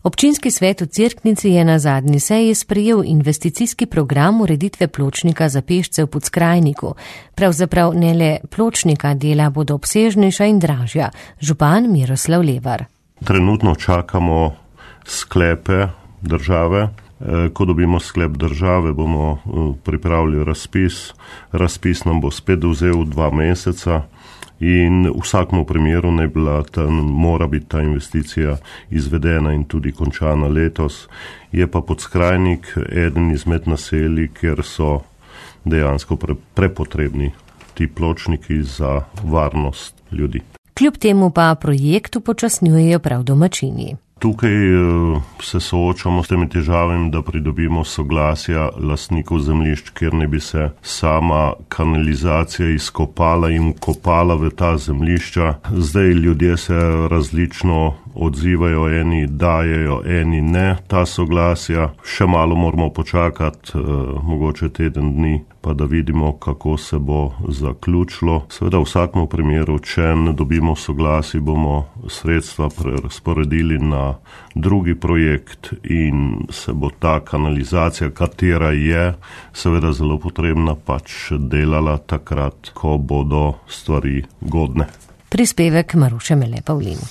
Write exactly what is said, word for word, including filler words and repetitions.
Občinski svet v Cerknici je na zadnji seji sprejel investicijski program ureditve pločnika za pešce v Podskrajniku. Pravzaprav ne le pločnika, dela bodo obsežnejša in dražja. Župan Miroslav Levar. Trenutno čakamo sklepe države. Ko dobimo sklep države, bomo pripravili razpis. Razpis nam bo spet vzel dva meseca in v vsakem primeru ne bila ta, mora biti ta investicija izvedena in tudi končana letos. Je pa Podskrajnik eden izmed naselij, kjer so dejansko pre, prepotrebni ti pločniki za varnost ljudi. Kljub temu pa projekt upočasnjujejo prav domačini. Tukaj se soočamo s temi težavami, da pridobimo soglasja lastnikov zemljišč, kjer ne bi se sama kanalizacija izkopala in kopala v ta zemljišča. Zdaj ljudje se različno odzivajo, eni dajejo, eni ne ta soglasja. Še malo moramo počakati, mogoče teden dni, pa da vidimo, kako se bo zaključilo. Seveda v vsakem primeru, če ne dobimo soglasij, bomo sredstva prerazporedili na drugi projekt in se bo ta kanalizacija, katera je seveda zelo potrebna, pač delala takrat, ko bodo stvari godne. Prispevek Maruše Mele Pavlin.